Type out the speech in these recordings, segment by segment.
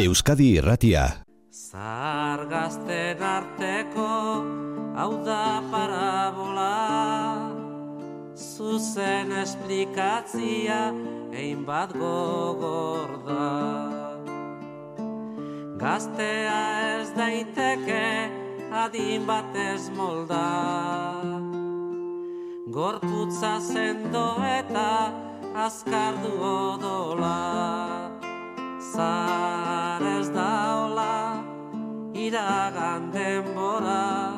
Euskadi Irratia. Zahar gazten arteko hau da parabola, zuzen esplikatzia egin bat gogor da. Gaztea ez daiteke adin batez molda, gorputza sendo eta azkardu odola. Zahar ez da hola, iragan denbora,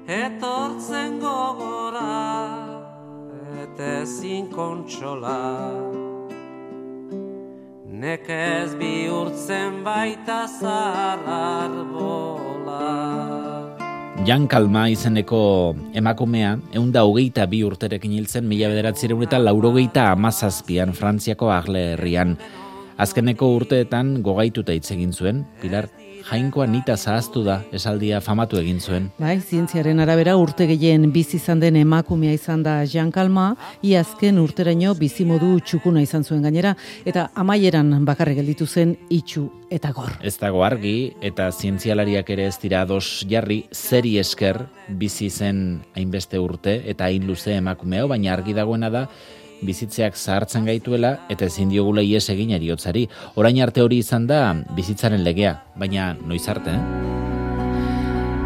etortzen gogora, eta ezin kontsola. Nekez bihurtzen baita zahar arbola. Jan Kalma izeneko emakumea, 122 urterekin hiltzen 1987an Frantziako Arles herrian. Azkeneko urteetan gogaituta hitz egin zuen, Pilar, jainkoa nita zahaztu da, esaldia famatu egin zuen. Bai, zientziaren arabera urte gehien bizi izan den emakumea izan da Jan Kalma, azken urteraino bizimodu txukuna izan zuen gainera, eta amaieran bakarrik gelditu zen itxu eta gor. Ez dago argi, eta zientzialariak ere ez dira ados jarri, zeri esker bizi zen hainbeste urte eta hain luze emakumea, baina argi dagoena da, bizitzeak zahartzen gaituela eta ezin diogula ihes egin heriotzari. Orain arte hori izan da bizitzaren legea, baina noiz arte,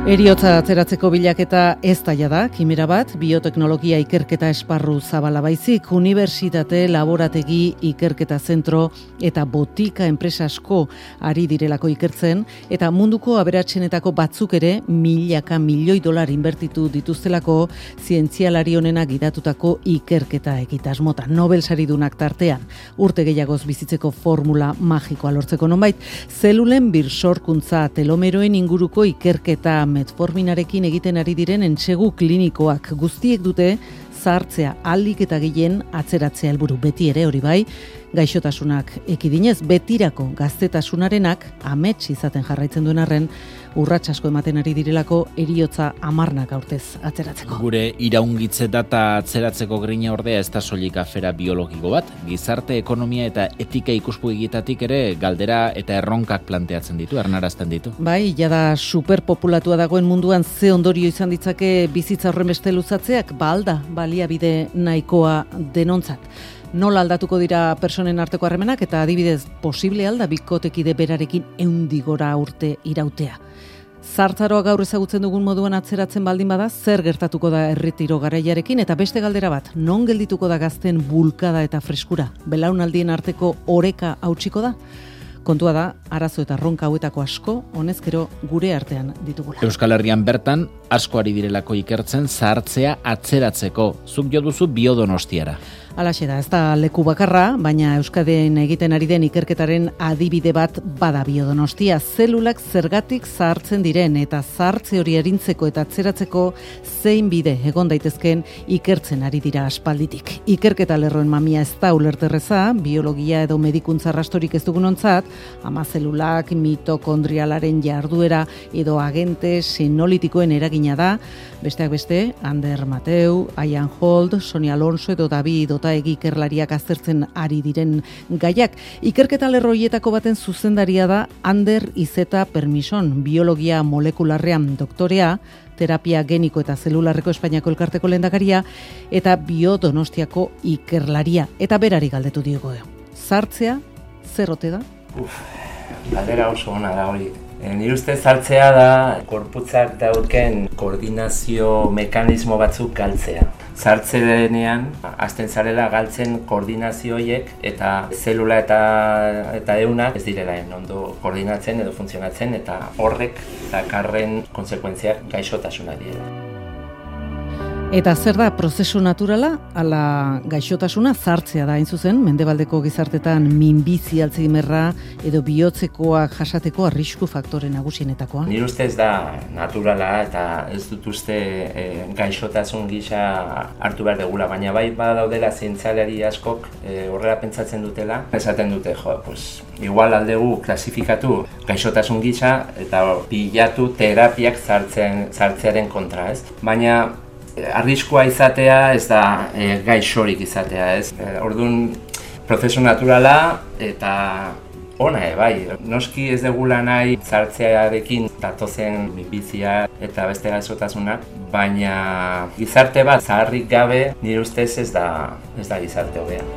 Heriotza atzeratzeko bilaketa ez daia da, kimera bat, bioteknologia ikerketa esparru zabala baizik, unibertsitate, laborategi, ikerketa zentro eta botika enpresa asko ari direlako ikertzen, eta munduko aberatsenetako batzuk ere milaka milioi dolar inbertitu dituztelako zientzialari honena gidatutako ikerketa egitasmota. Nobel saridunak tartean, urte gehiagoz bizitzeko formula magikoa lortzeko nonbait, zelulen birsorkuntza telomeroen inguruko ikerketa metforminarekin egiten ari diren entsegu klinikoak guztiek dute zahartzea ahalik eta gehien atzeratzea helburu, beti ere hori bai, gaixotasunak ekidinez, betirako gaztetasunarenak amets izaten jarraitzen duen arren, urrats asko ematen ari direlako heriotza 10 urtez atzeratzeko. Gure iraungitze data atzeratzeko grina ordea ez da soilik afera biologiko bat, gizarte, ekonomia eta etika ikuspegietatik ere galdera eta erronkak planteatzen ditu, ernarazten ditu. Bai, jada superpopulatua dagoen munduan ze ondorio izan ditzake bizitza horren beste luzatzeak, alda baliabide nahikoa denontzat. Nola aldatuko dira personen arteko harremanak eta adibidez posible alda bikotekide berarekin 100 gora urte irautea. Zahartzaroa gaur ezagutzen dugun moduan atzeratzen baldin bada, zer gertatuko da erretiro garaiarekin, eta beste galdera bat, non geldituko da gazten bulkada eta freskura? Belaunaldien arteko oreka hautsiko da? Kontua da, arazo eta ronka hauetako asko, honezkero gure artean ditugula. Euskal Herrian bertan, asko ari direlako ikertzen zahartzea atzeratzeko. Zuk jo duzu Biodonostiara. Halaxe da, ez da leku bakarra, baina Euskadin egiten ari den ikerketaren adibide bat bada Biodonostia. Zelulak zergatik zahartzen diren eta zahartze hori arintzeko eta atzeratzeko zein bide egon daitezken ikertzen ari dira aspalditik. Ikerketa lerroen mamia ez da ulerterreza, biologia edo medikuntza rastorik ez dugunontzat, ama zelulak, mitokondrialaren jarduera edo agente senolitikoen eragina da, besteak beste, Ander Mateu, Ian Holt, Sonia Alonso edo David Otaegi ikerlariak aztertzen ari diren gaiak. Ikerketa lerro hietako baten zuzendaria da Ander Izeta Permison, biologia molekularrean doktorea, terapia geniko eta zelularreko Espainiako elkarteko lehendakaria eta Biodonostiako ikerlaria. Eta berari galdetu diogo. Zahartzea, zer ote da? Galdera oso ona da hori. Nire ustez zahartzea da gorputzak dauken koordinazio mekanismo batzuk galtzea. Zahartze denean, hasten zarela galtzen koordinazio horiek eta zelula eta eunak ez direla ondo koordinatzen edo funtzionatzen eta horrek dakarren kontsekuentziak gaixotasuna direla. Eta zer da prozesu naturala, ala gaixotasuna zahartzea da hain zuzen, mendebaldeko gizartetan minbizi alzheimerra edo bihotzekoak jasateko arrisku faktore nagusienetakoa. Nire ustez da naturala eta ez dut uste gaixotasun gisa hartu behar degula, baina bai badaudela zientzialari askok horrela pentsatzen dutela. Esaten dute, igual aldegu klasifikatu gaixotasun gisa eta bilatu terapiak zahartzearen kontra, ez? Baina arriskua izatea ez da gaixorik izatea, ez? Orduan, prozesu naturala eta Ona bai, noski ez degula nahi sartzearekin datozen minbizia eta beste gaixotasunak, baina gizarte bat zaharrik gabe nire ustez ez da gizarte hobea.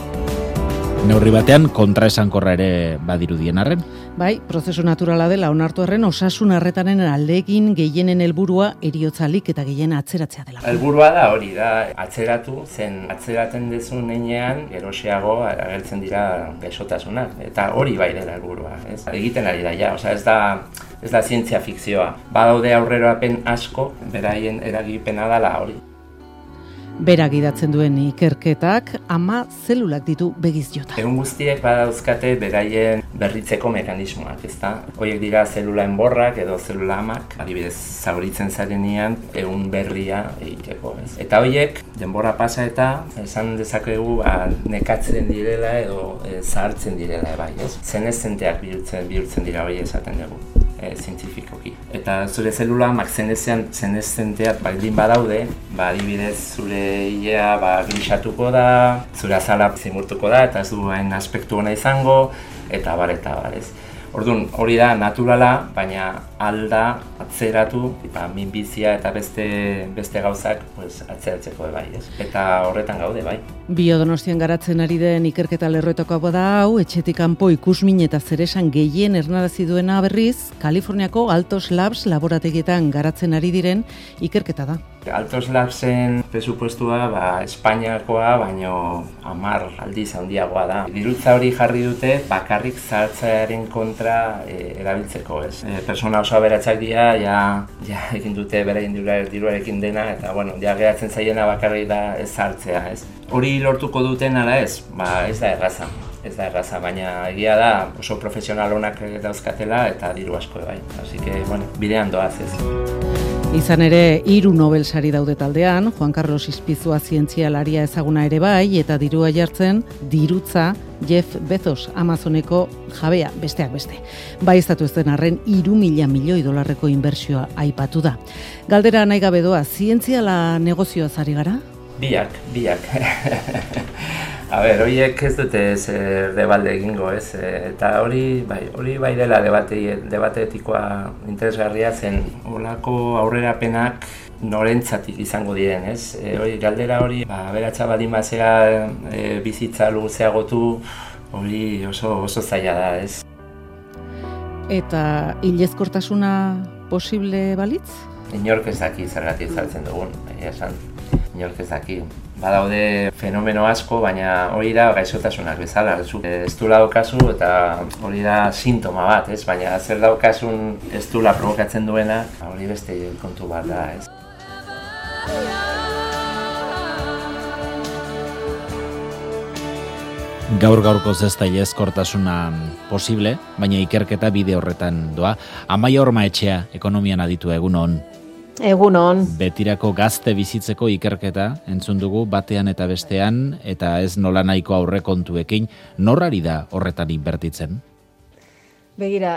Neurri batean kontraesankorra ere badirudien arren? Bai, prozesu naturala dela onartu arren osasun arretaren aldegin gehienen helburua heriotzalik eta gehien atzeratzea dela. Helburua da hori da, atzeratu, zen atzeraten dezun heinean eroseago agertzen dira gaixotasunak, eta hori bai dela helburua, ez? Egiten ari da ja, ez da zientzia fikzioa. Badaude aurrerapen asko, beraien eragipena dela hori. Berak idatzen duen ikerketak 10 zelulak ditu begiz jota. Egun guztiek badauzkate beraien berritzeko mekanismoak, ezta? Horiek dira zelula enborrak edo zelula amak, adibidez zauritzen zarenean ehun berria egiteko, ez? Eta horiek denbora pasa eta esan dezakegu nekatzen direla edo zahartzen direla bai, ez? Seneszenteak bihurtzen dira hori esaten dugu. Zientifikoki. Eta zure zelulamak seneszenteak baldin badaude, adibidez zure ilea grisatuko da, zure azala zimurtuko da eta ez du hain aspektu ona izango, eta bar, ez. Orduan, hori da naturala, baina alda atzeratu, minbizia eta beste gauzak atzeratzeko bai, ez? Eta horretan gaude, bai. Biodonostian garatzen ari den ikerketa lerroetako da hau, etxetik kanpo ikusmin eta zeresan gehien ernarazi duena berriz, Kaliforniako Altos Labs laborategietan garatzen ari diren ikerketa da. Altos Labsen presupuestua Espainiakoa baino 10 aldiz handiagoa da. Dirutza hori jarri dute bakarrik zahartzearen kontra erabiltzeko, ez? Persona oso aberatsak dira, ja egin dute beraien diruarekin dena eta ja geratzen zaiena bakarrik da ez zahartzea, ez? Hori lortuko duten ala ez? Ez da erraza. Ez da erraza, baina egia da oso profesional onak dauzkatela eta diru asko bai. Así que, bidean doaz ez. Izan ere, 3 Nobel sari daude taldean, Juan Carlos Ispizua zientzialaria ezaguna ere bai, eta dirua jartzen, dirutza Jeff Bezos, Amazoneko jabea, besteak beste. Bai estatu ez den arren, 3.000 milioi dolarreko inbertsioa aipatu da. Galdera nahi gabe doa, zientziala negozioaz ari gara? Biak. A ber, horiek ez dute debalde egingo, ez? Eta hori bai dela debate etikoa interesgarria zen holako aurrerapenak norentzatik izango diren, ez? Galdera hori, aberatsa baldin bazera bizitza luzeagotu, hori oso zaila da, ez? Eta hilezkortasuna posible balitz? Inork ez daki zergatik sartzen dugun, esan. Inork ez daki. Badaude fenomeno asko, baina hori da gaixotasunak bezala. Ez du daukazu eta hori da sintoma bat, ez? Baina zer daukasun ez dula provokatzen duena, hori beste kontu bat da, ez? Gaur-gaurkoz ez da hilezkortasuna posible, baina ikerketa bide horretan doa. Amaia Ormaetxea, ekonomian aditua, egun on. Egun on. Betirako gazte bizitzeko ikerketa entzun dugu batean eta bestean, eta ez nola nahiko aurrekontuekin, norrari da horretan inbertitzen? Begira,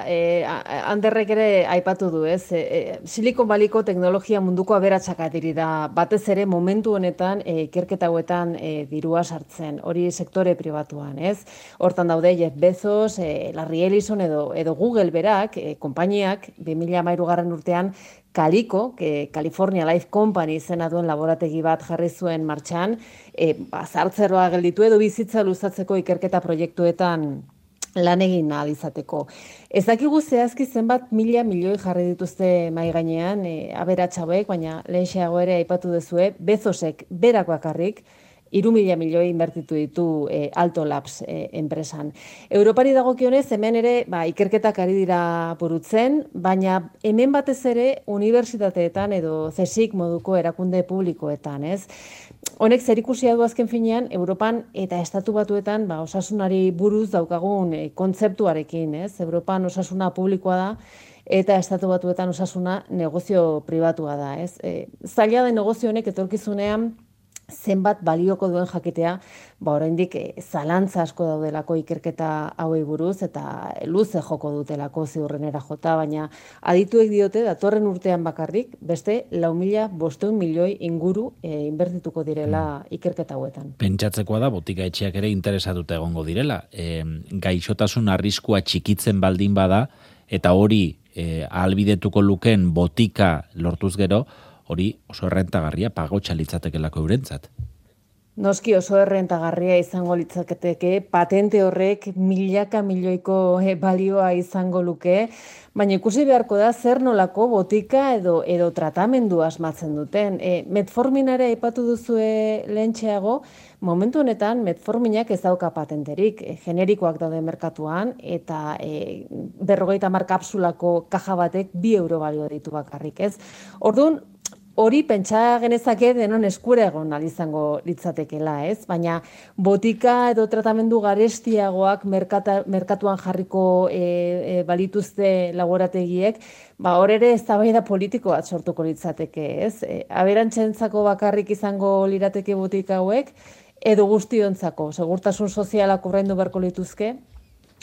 Anderrek ere aipatu du, ez? Silicon Valleyko teknologia munduko aberatsak diri da, batez ere momentu honetan ikerketa hauetan dirua sartzen, hori sektore pribatuan, ez? Hortan daude Jeff Bezos, Larry Ellison edo Google berak, konpainiak 2013 urtean Calico, California Life Company izena duen laborategi bat jarri zuen martxan, zahartzeroa gelditu edo bizitza luzatzeko ikerketa proiektuetan lan egin ahal izateko. Ez dakigu zehazki zenbat 1.000 milioi jarri dituzte mahai gainean aberatsa hauek, baina lehenxeago ere aipatu duzue, Bezosek berak bakarrik 3.000 milioi inbertitu ditu Alto Labs enpresan. Europari dagokionez hemen ere ikerketak ari dira burutzen, baina hemen batez ere unibertsitateetan edo CSIC moduko erakunde publikoetan, ez? Honek zerikusia du azken finean Europan eta Estatu Batuetan osasunari buruz daukagun kontzeptuarekin, ez? Europan osasuna publikoa da eta Estatu Batuetan osasuna negozio pribatua da, ez? Zaila da negozio honek etorkizunean zenbat balioko duen jakitea, oraindik zalantza asko daudelako ikerketa hauei buruz eta luze joko dutelako ziurrenera jota, baina adituek diote datorren urtean bakarrik beste 4.500 milioi inguru inbertituko direla ikerketa hauetan. Pentsatzekoa da botika etxeak ere interesatuta egongo direla. Gaixotasun arriskua txikitzen baldin bada eta hori ahalbidetuko lukeen botika lortuz gero, hori oso errentagarria pagotxa litzatekelako eurentzat. Noski oso errentagarria izango litzaketeke, patente horrek milaka milioiko balioa izango luke, baina ikusi beharko da zer nolako botika edo tratamendu asmatzen duten. Metforminare aipatu duzue lehentxeago, momentu honetan metforminak ez dauka patenterik, generikoak daude merkatuan, eta 50 kapsulako kaja batek 2 euro balio ditu bakarrik, ez? Orduan, hori pentsa genezake denon eskura egon izango litzatekela, ez? Baina botika edo tratamendu garestiagoak merkatuan jarriko balituzte laborategiek, hor ere eztabaida politiko bat sortuko litzateke, ez? Aberantzentzako bakarrik izango lirateke botika hauek, edo guztiontzako, segurtasun sozialak ordaindu beharko lituzke,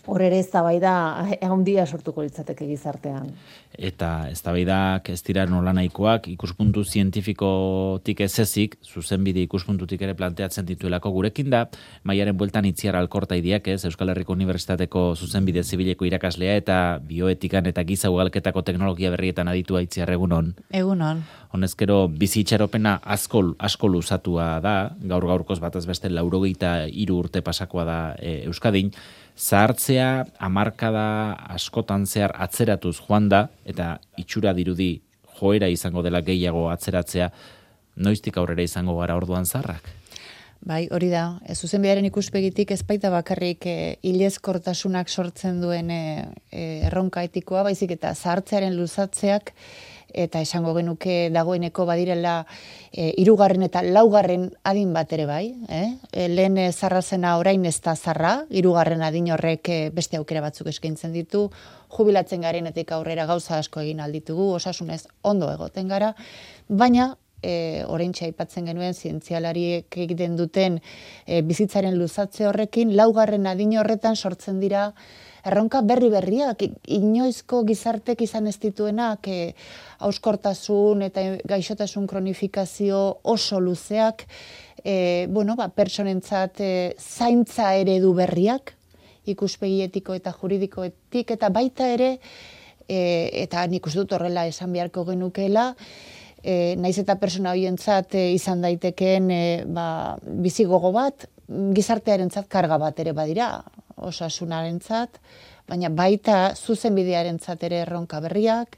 hor ere eztabaida handia sortuko litzateke gizartean. Eta eztabaidak ez dira nolanahikoak, ikuspuntu zientifikotik ez ezik, zuzenbide ikuspuntutik ere planteatzen dituelako gurekin da, Maiaren bueltan Itziar Alkorta idiak, Euskal Herriko Unibertsitateko zuzenbide zibileko irakaslea eta bioetikan eta giza ugalketako teknologia berrietan aditua. Itziar, egunon. Egunon. Honezkero bizitxaropena asko luzatua da, gaur-gaurkoz batez beste 83 urte pasakoa da Euskadin, zahartzea hamarkada askotan zehar atzeratuz joan da, eta itxura dirudi joera izango dela gehiago atzeratzea, noiztik aurrera izango gara orduan zaharrak? Bai, hori da. Zuzenbidearen ikuspegitik ez baita bakarrik hilezkortasunak sortzen duen erronka etikoa, baizik eta zahartzearen luzatzeak, eta esango genuke dagoeneko badirela 3. eta 4. adin bat ere bai. Lehen zarra zena orain ez da zarra, 3. adin horrek beste aukera batzuk eskaintzen ditu, jubilatzen garenetik aurrera gauza asko egin alditugu, osasunez ondo egoten gara, baina oraintxe aipatzen genuen zientzialariek egiten duten bizitzaren luzatze horrekin, 4. adin horretan sortzen dira erronka berriak, inoizko gizartek izan ez dituenak, hauskortasun eta gaixotasun kronifikazio oso luzeak, pertsonentzat zaintza eredu berriak, ikuspegi etiko eta juridikoetik, eta baita ere, eta nik uste dut horrela esan beharko genukeela, naiz eta persona horientzat izan daitekeen bizi gogo bat, gizartearentzat karga bat ere badira, osasunarentzat, baina baita zuzenbidearentzat ere erronka berriak,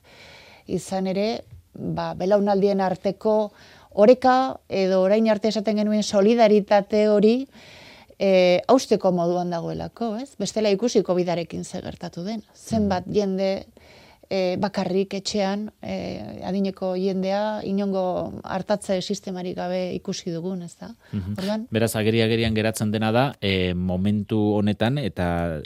izan ere, belaunaldien arteko oreka edo orain arte esaten genuen solidaritate hori hausteko moduan dagoelako, ez? Bestela ikusi COVID-arekin ze gertatu den. Zenbat jende bakarrik etxean, adineko jendea, inongo hartatze sistemarik gabe ikusi dugun, ez da? Beraz, agerian geratzen dena da, momentu honetan eta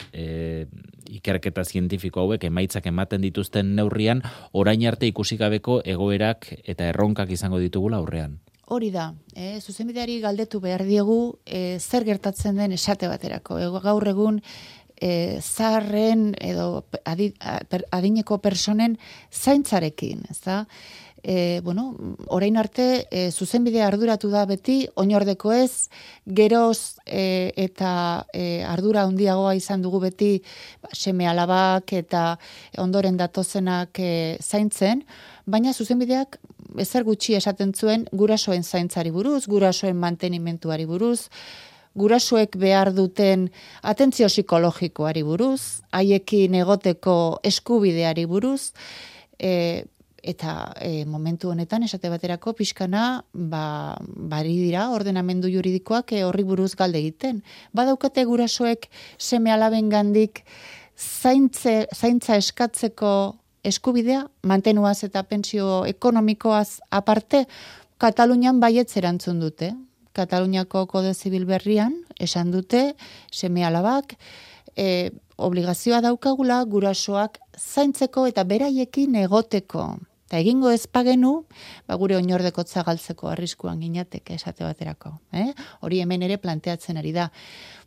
ikerketa zientifiko hauek emaitzak ematen dituzten neurrian, orain arte ikusi gabeko egoerak eta erronkak izango ditugula aurrean. Hori da, zuzenbideari galdetu behar diegu zer gertatzen den esate baterako. Gaur egun, zaharren edo adineko personen zaintzarekin, ez da? Orain arte, zuzenbidea arduratu da beti, oinordeko ez, geroz eta ardura handiagoa izan dugu beti seme alabak eta ondoren datozenak zaintzen, baina zuzenbideak ezer gutxi esaten zuen gurasoen zaintzari buruz, gurasoen mantenimentuari buruz, gurasoek behar duten atentzio psikologikoari buruz, haiekin egoteko eskubideari buruz, eta momentu honetan esate baterako pixkana bari dira ordenamendu juridikoak horri buruz galde egiten. Badaukate gurasoek seme alabengandik zaintza eskatzeko eskubidea, mantenuaz eta pentsio ekonomikoaz aparte, Katalunian baietz erantzun dute. Kataluniako Kode Zibil berrian esan dute seme alabak obligazioa daukagula gurasoak zaintzeko eta beraiekin egoteko. Eta egingo ez pagenu, gure oinordekotza galtzeko arriskuan ginateke esate baterako. Hori hemen ere planteatzen ari da.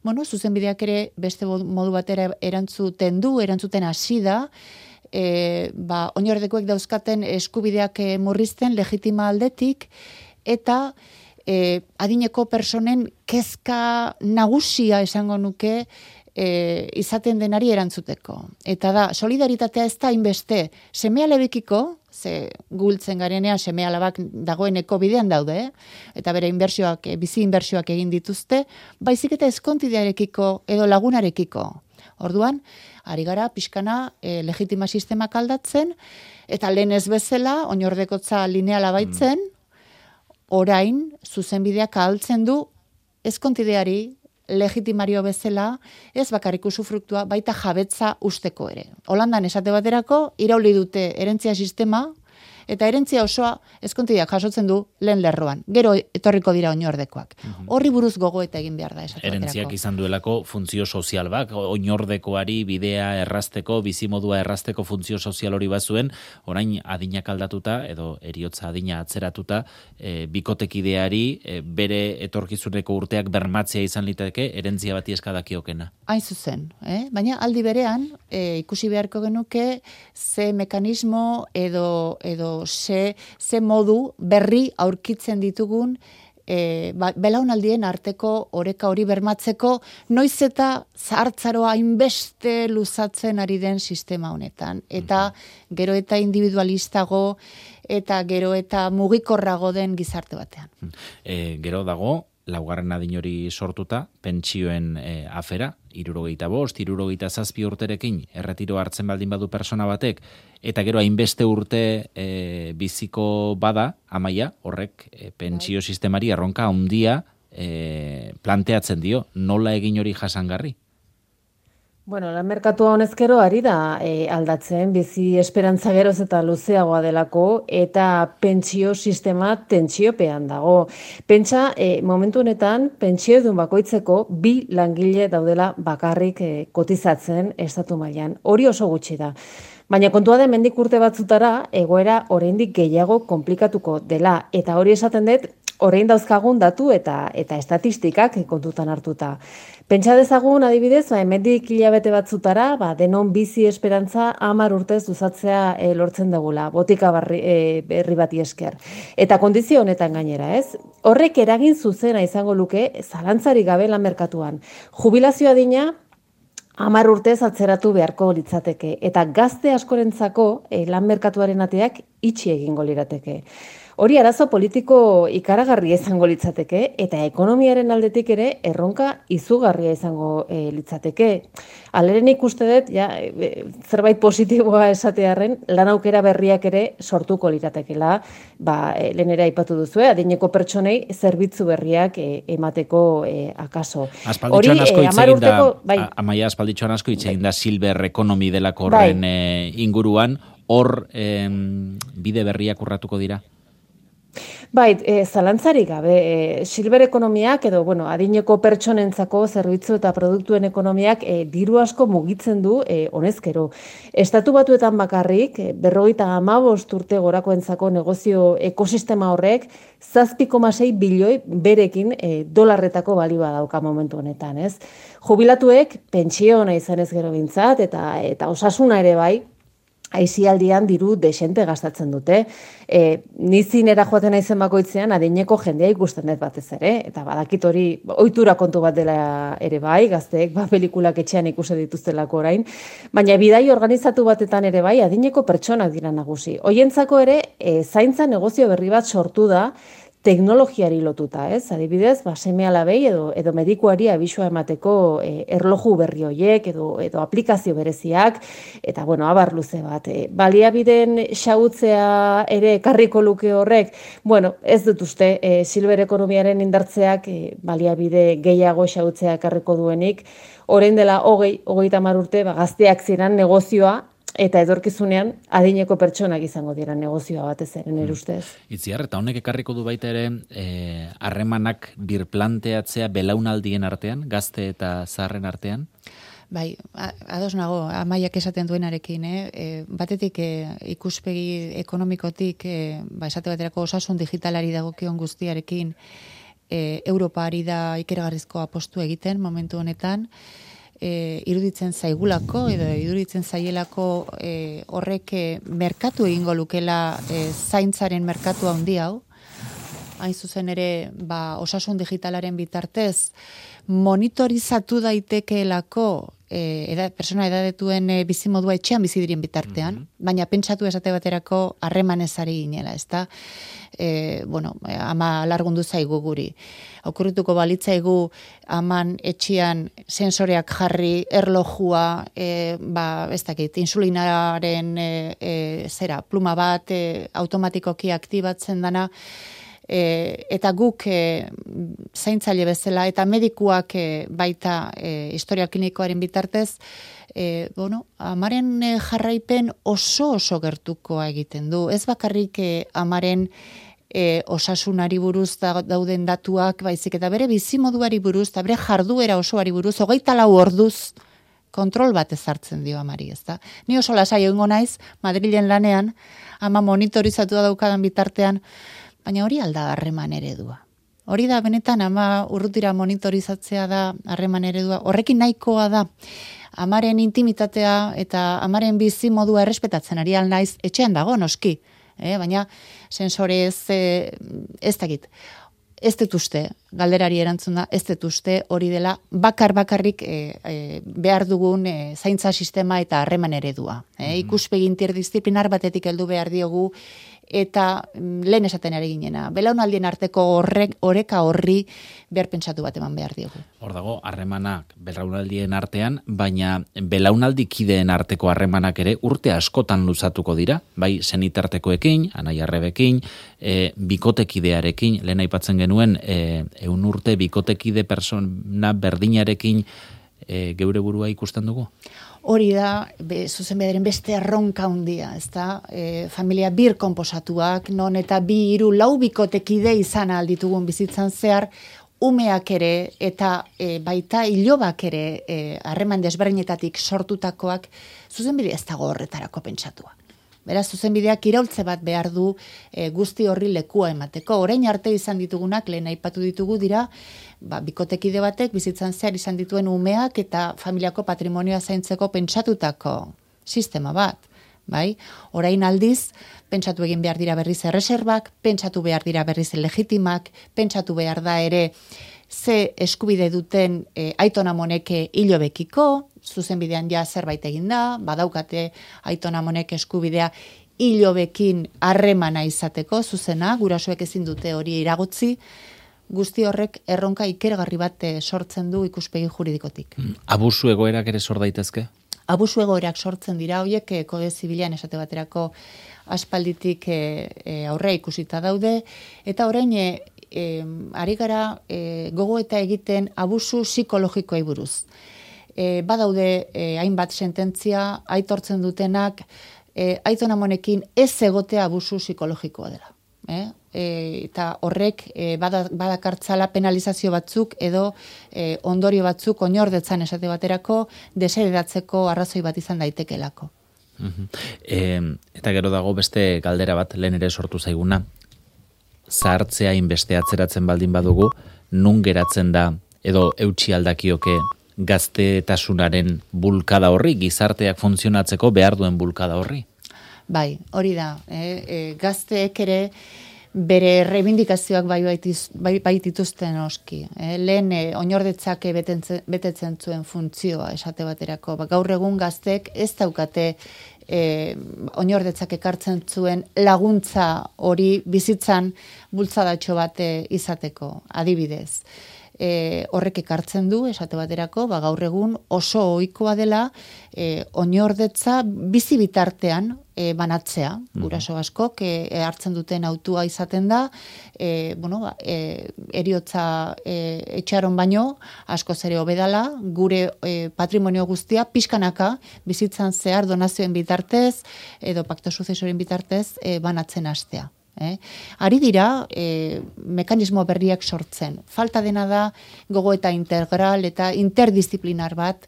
Bueno, zuzenbideak ere beste modu batera erantzuten hasi da, oinordekoek dauzkaten eskubideak murrizten legitima aldetik, eta adineko personen kezka nagusia esango nuke izaten denari erantzuteko. Eta da, solidaritatea ez da inbeste seme-alabekiko, ze gultzen garenean seme-alabak dagoeneko bidean daude, eta bere bizi inbertsioak egin dituzte, baizik eta eskontidearekiko edo lagunarekiko. Orduan, ari gara pixkana legitima sistemak aldatzen, eta lehen ez bezala, oinordekotza lineala baitzen, orain zuzenbideak ahaltzen du eskontideari legitimario bezala, ez bakarrik usufruktua, baita jabetza usteko ere. Holandan esate baterako, irauli dute herentzia sistema, eta herentzia osoa eskontideak jasotzen du lehen lerroan. Gero etorriko dira oinordekoak. Horri buruz gogoeta egin behar da esate baterako. Herentziak izan duelako funtzio sozial bak, oinordekoari bidea errazteko, bizimodua errazteko funtzio sozial hori bazuen, orain adinak aldatuta, edo eriotza adina atzeratuta, bikotekideari bere etorkizuneko urteak bermatzea izan liteke, herentzia bati eskadakiokena. Hain zuzen, baina aldi berean, ikusi beharko genuke, ze mekanismo edo ze modu berri aurkitzen ditugun belaunaldien arteko oreka hori bermatzeko, noiz eta zahartzaroa hainbeste luzatzen ari den sistema honetan. Eta gero eta individualistago eta gero eta mugikorrago den gizarte batean. Gero dago, laugarren adin hori sortuta, pentsioen afera, 65, 67 urterekin erretiro hartzen baldin badu persona batek, eta gero hainbeste urte biziko bada, Amaia, horrek pentsio sistemari erronka handia planteatzen dio, nola egin hori jasangarri? Bueno, lan merkatua honezkero ari da aldatzen, bizi esperantza geroz eta luzeagoa delako, eta pentsio sistema tentsiopean dago. Pentsa, momentu honetan, pentsio edun bakoitzeko 2 langile daudela bakarrik kotizatzen estatu mailan. Hori oso gutxi da. Baina kontua da hemendik urte batzutara, egoera oraindik gehiago konplikatuko dela, eta hori esaten dut, orain dauzkagun datu eta estatistikak kontutan hartuta. Pentsa dezagun adibidez, hemendik hilabete batzutara, denon bizi esperantza 10 urtez luzatzea lortzen dugula, botika berri bati esker. Eta kondizio honetan gainera, ez? Horrek eragin zuzena izango luke zalantzarik gabe lan merkatuan. Jubilazio adina 10 urtez atzeratu beharko litzateke, eta gazte askorentzako lan merkatuaren ateak itxi egingo lirateke. Hori arazo politiko ikaragarria izango litzateke, eta ekonomiaren aldetik ere erronka izugarria izango litzateke. Aleren ikuste dut, zerbait positiboa esatearren, lan aukera berriak ere sortuko liratekela, lehen ere aipatu duzu, adineko pertsonei zerbitzu berriak emateko akaso. Aspalditxoan asko hitz egin da, Amaia, aspalditxoan asko hitz egin da Silver Economy delako horren inguruan, hor bide berriak urratuko dira? Zalantzarik gabe, Silver ekonomiak edo, adineko pertsonentzako zerbitzu eta produktuen ekonomiak diru asko mugitzen du honezkero. Estatu Batuetan bakarrik, 55 urte gorakoentzako negozio ekosistema horrek 7,6 bilioi berekin dolarretako balioa dauka momentu honetan, ez? Jubilatuek pentsiona izanez gero bintzat eta osasuna ere bai, aisialdian diru desente gastatzen dute. Nizinera joaten naizen bakoitzean adineko jendea ikusten dut batez ere, eta badakit hori ohitura kontu bat dela ere bai, gazteek pelikulak etxean ikusi dituztelako orain, baina bidai organizatu batetan ere bai adineko pertsonak dira nagusi. Hoientzako ere zaintza negozio berri bat sortu da, teknologiari lotuta, ez? Adibidez, seme-alabei edo medikuari abisua emateko erloju berri horiek edo aplikazio bereziak, eta abar luze bat. Baliabideen xahutzea ere ekarriko luke horrek, ez dut uste, Silver ekonomiaren indartzeak baliabide gehiago xahutzea ekarriko duenik, orain dela 30 urte, gazteak ziren negozioa, eta edorkizunean adineko pertsonak izango dira negozioa batez ere nire ustez. Itziar, eta honek ekarriko du baita ere harremanak birplanteatzea belaunaldien artean, gazte eta zaharren artean? Bai, ados nago, Amaiak esaten duenarekin, batetik ikuspegi ekonomikotik, esate baterako osasun digitalari dagokion guztiarekin, Europa ari da ikeragarrizko apostu egiten momentu honetan, iruditzen zaigulako edo iruditzen zaielako horrek merkatu egingo lukela zaintzaren merkatu handi hau, hain zuzen ere osasun digitalaren bitartez monitorizatu daitekeelako persona edadetuen bizimodua etxean bizi diren bitartean, baina pentsatu esate baterako harremanez ari ginela, ezta? Ama alargundu zaigu guri. Okurrituko balitzaigu aman etxean sensoreak jarri, erlojua, ez dakit, insulinaren pluma bat automatikoki aktibatzen dana, eta guk zaintzaile bezala eta medikuak baita historial klinikoaren bitartez, amaren jarraipen oso gertukoa egiten du. Ez bakarrik amaren osasunari buruz dauden datuak, baizik eta bere bizimoduari buruz, eta bere jarduera osoari buruz, 24 orduz kontrol bat ezartzen dio amari, ezta? Ni oso lasai egongo naiz, Madrilen lanean, ama monitorizatu daukadan bitartean, baina hori alda harreman eredua. Hori da, benetan, ama urrutira monitorizatzea da harreman eredua. Horrekin nahikoa da, amaren intimitatea eta amaren bizi modua errespetatzen ari naiz etxean dago, noski. Baina sensorez ez dakit. Ez dut uste, galderari erantzun da, ez dut uste hori dela bakarrik behar dugun zaintza sistema eta harreman eredua. Ikuspegi interdisziplinar batetik heldu behar diogu, eta lehen esaten ari ginena. Belaunaldien arteko oreka horri behar pentsatu bat eman behar diogu. Hor dago, harremanak belaunaldien artean, baina belaunaldikideen arteko harremanak ere urte askotan luzatuko dira, bai senitartekoekin, Anai Arrebekin, bikotekidearekin, lehen aipatzen genuen, 100 urte bikotekide persona berdinarekin geure burua ikusten dugu? Hori da, zuzenbideren beste erronka handia, ezta? Familia bir konposatuak, non eta 2, 3, 4 bikotekide izan alditugun bizitzan zehar, umeak ere eta baita ilobak ere harreman desberdinetatik sortutakoak zuzenbide ez dago horretarako pentsatua. Beraz, zuzenbideak iraultze bat behar du guzti horri lekua emateko. Orain arte izan ditugunak, lehen aipatu ditugu dira, bikotekide batek bizitzan zehar izan dituen umeak eta familiako patrimonioa zaintzeko pentsatutako sistema bat. Bai? Orain aldiz, pentsatu egin behar dira berriz erreserbak, pentsatu behar dira berriz legitimak, pentsatu behar da ere ze eskubide duten aitonamoneke hilobekiko, zuzenbidean ja zerbait egin da, badaukate aitonamonek eskubidea hilobekin harremana izateko, zuzena, gurasoek ezin dute hori iragotzi, guzti horrek erronka ikergarri bat sortzen du ikuspegi juridikotik. Abusu egoerak ere sor daitezke? Abusu egoerak sortzen dira, horiek kode zibilean esate baterako aspalditik aurrea ikusita daude, eta orain ari gara gogoeta egiten abusu psikologikoei buruz. Badaude hainbat sententzia aitortzen dutenak aitonamonekin ez egotea abusu psikologikoa dela. Eta horrek badakartzala penalizazio batzuk edo ondorio batzuk oinordetzan esate baterako deseredatzeko arrazoi bat izan daitekelako. Eta gero dago beste galdera bat lehen ere sortu zaiguna. Zahartzea inbeste atzeratzen baldin badugu, nun geratzen da edo eutsi aldakioke gaztetasunaren bulkada horri, gizarteak funtzionatzeko behar duen bulkada horri? Bai, hori da. Gazteek ere bere reivindikazioak baitituzten oski. Lehen oinordetzak betetzen zuen funtzioa esate baterako. Gaur egun gazteek ez daukate oinordetzak ekartzen zuen laguntza hori bizitzan bultzadatxo bat izateko, adibidez. Horrek ekartzen du, esate baterako, gaur egun oso ohikoa dela oinordetza bizi bitartean banatzea. Guraso askok hartzen duten autua izaten da, eriotza etxaron baino, askoz ere hobedala, gure patrimonio guztia pixkanaka bizitzan zehar donazioen bitartez edo pakto suzesoren bitartez banatzen hastea. Ari dira mekanismo berriak sortzen. Falta dena da gogoeta integral eta interdisziplinar bat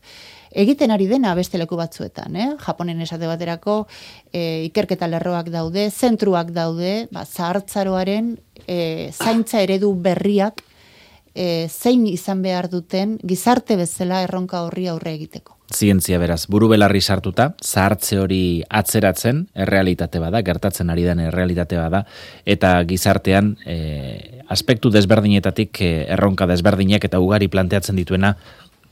egiten ari dena beste leku batzuetan, Japonen esate baterako ikerketa lerroak daude, zentruak daude, zahartzaroaren zaintza eredu berriak zein izan behar duten gizarte bezala erronka horri aurre egiteko. Zientzia beraz, buru belarri sartuta, zahartze hori atzeratzen, errealitate bada, gertatzen ari den errealitate bada, eta gizartean aspektu desberdinetatik erronka desberdinak eta ugari planteatzen dituena,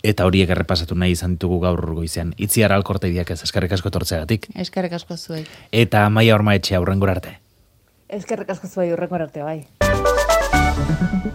eta horiek errepasatu nahi izan ditugu gaur goizean. Itziar Alkorteidiak ez, eskerrik asko etortzeagatik. Eskerrik asko zuei. Eta Amaia Ormaetxea, hurrengora arte. Eskerrik asko zuei, hurrengora arte, bai.